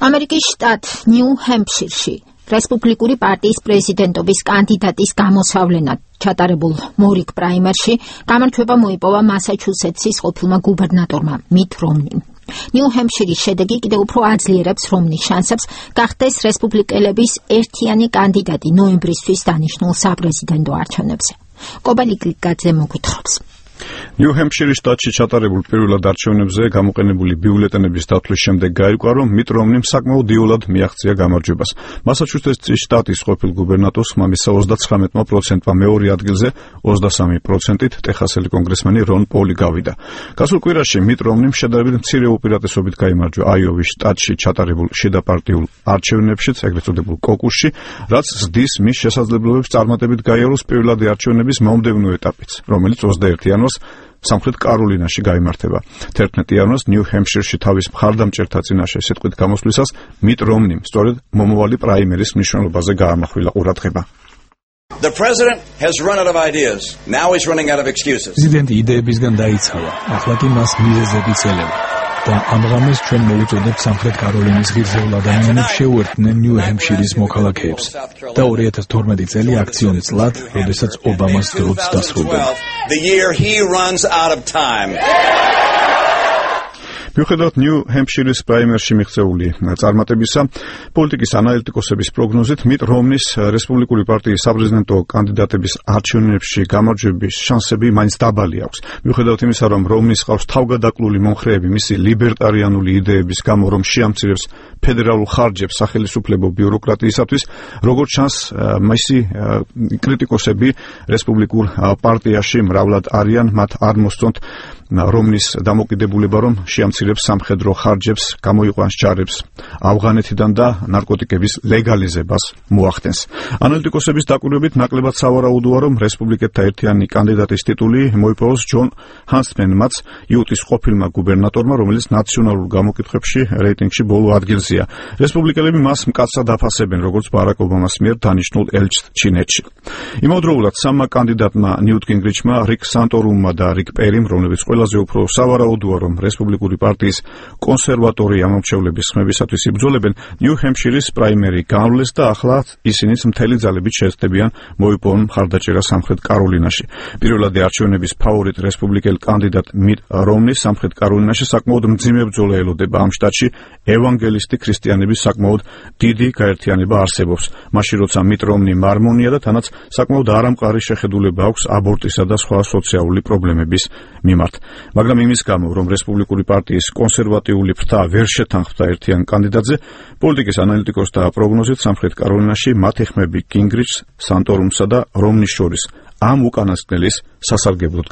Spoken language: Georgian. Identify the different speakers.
Speaker 1: ამერიკის შტატ ნიუ-ჰემფშირში რესპუბლიკური პარტიის პრეზიდენტობის კანდიდატის გამოსავლენად ჩატარებულ მორიგ პრაიმერში გამარჯვება მოიპოვა მასაჩუსეტსის ყოფილმა გუბერნატორმა მიტ რომნიმ. ნიუ-ჰემფშირის შედეგი კიდევ უფრო აძლიერებს რომნის შანსებს გახდეს რესპუბლიკელების ერთიანი კანდიდატი ნოემბრისთვის დანიშნულ საპრეზიდენტო არჩევნებზე. კობალი გლიკაძე მოგვითხრობს.
Speaker 2: ნიუ-ჰემფშირის შტატში ჩატარებულ პირველად არჩევნებზე გამოყენებული ბიულეტენების დათვლის შემდეგ გაირკვა, რომ მიტ რომნიმ საკმაოდ იოლად მიაღწია გამარჯვებას. მასაჩუსეტსის შტატის ყოფილ გუბერნატორს ხმამისა 39%-მა მეორე ადგილზე 23%-ით ტეხასელი კონგრესმენი რონ პოლი გავიდა. გასულ კვირაში მიტ რომნიმ შედარებით მცირე უპირატესობით გაიმარჯვა აიოვის შტატში ჩატარებულ შედაპარტიულ არჩევნებშიც, ეგრეთ წოდებულ კოკუსში, რაც ზრდის მის შესაძლებლობებს წარმატებით გაიაროს პირველადი არჩევნების მომდევნო ეტაპიც, რომელიც 21 იანვარს სამხრეთ კაროლინაში გაიმართება. 11 იანვარს ნიუ-ჰემფშირში თავის მხარდამჭერთა წინაშე სიტყვით გამოსვლისას მიტ რომნიმ სწორედ მომავალი პრაიმერის მნიშვნელობაზე გაამახვილა ყურადღება.
Speaker 3: The president has run out of ideas. Now he's running out of excuses.
Speaker 4: პრეზიდენტი იდეებისგან დაიცალა. ახლა კი მას მიზეზები წელება. და ამჟამად ჩვენ მოვუწოდებთ სამხრეთ კაროლინის ღირსეულ ადამიანებს შეუერთდნენ ნიუ-ჰემფშირის მოქალაქეებს და 2012 წელი აქციონი წლად, როდესაც ობამას დროც დასრულდება.
Speaker 2: მიუხედავად ნიუ-ჰემფშირის პრაიმერში მიღწეული წარმატებისა, პოლიტიკის ანალიტიკოსების პროგნოზით მიტ რომნის რესპუბლიკური პარტიის საპრეზიდენტო კანდიდატების არჩევნებში გამარჯვების შანსები მაინც დაბალი აქვს. მიუხედავად იმისა, რომ რომნის ყავს თავგადაკლული მომხრეები მისი ლიბერტარიანული იდეების გამო, რომ შეამცირებს ფედერალურ ხარჯებს სახელმწიფო ბიუროკრატიისათვის, როგორც ჩანს, მისი კრიტიკოსები რესპუბლიკურ პარტიაში მრავლად არიან, მათ არ მოსწონთ რომნის დამოკიდებულება, რომ შეამცირებს სამხედრო ხარჯებს, გამოიყვანს ჯარებს ავღანეთიდან და ნარკოტიკების ლეგალიზებას მოახდენს. ანალიტიკოსების დაკვირვებით ნაკლებად სავარაუდოა, რომ რესპუბლიკელთა ერთიანი კანდიდატის ტიტული მოიპოვოს ჯონ ჰანსმენმაც, იუტის ყოფილმა გუბერნატორმა, რომელიც ნაციონალურ გამოკითხვებში რეიტინგში ბოლო ადგილზეა. რესპუბლიკელები მას მკაცრად აფასებენ, როგორც ბარაკ ობამას მიერ დანიშნულ ელჩს ჩინეთში. იმავდროულად სამმა კანდიდატმა ნიუტ გინგრიჩმა, რიკ სანტორუმმა და რიკ პერიმ, რომლებიც ყველაზე უფრო სავარაუდოა, რომ რესპუბლიკური პარტიის კონსერვატორი ამომრჩევლების ხმებისათვის იბრძოლებენ, ნიუ-ჰემფშირის პრაიმერი განვლეს და ახლა ისინიც მთელი ძალებით შეეცდებიან მოიპოვონ მხარდაჭერა სამხრეთ კაროლინაში. პირველადი არჩევნების ფავორიტ რესპუბლიკელ კანდიდატ მიტ რომნის სამხრეთ კაროლინაში საკმაოდ მძიმე ბრძოლა ელოდება ამ შტატში ევანგელისტი ქრისტიანების საკმაოდ დიდი გაერთიანება არსებობს. მაშინ როცა მიტ რომნი მარმონია და თანაც საკმაოდ არამყარი შეხედულება აქვს აბორტისა და სხვა სოციალური პრობლემების მიმართ. მაგრამ იმის გამო, რომ რესპუბლიკური პარტიის კონსერვატიული ფრთა ვერ შეთანხმდა ერთიან კანდიდატზე, პოლიტიკის ანალიტიკოსთა პროგნოზით სამხრეთ კაროლინაში მათი ხმები გინგრიჩს, სანტორუმსა და რომნის შორის ამ უკანასკნელის სასარგებლოდ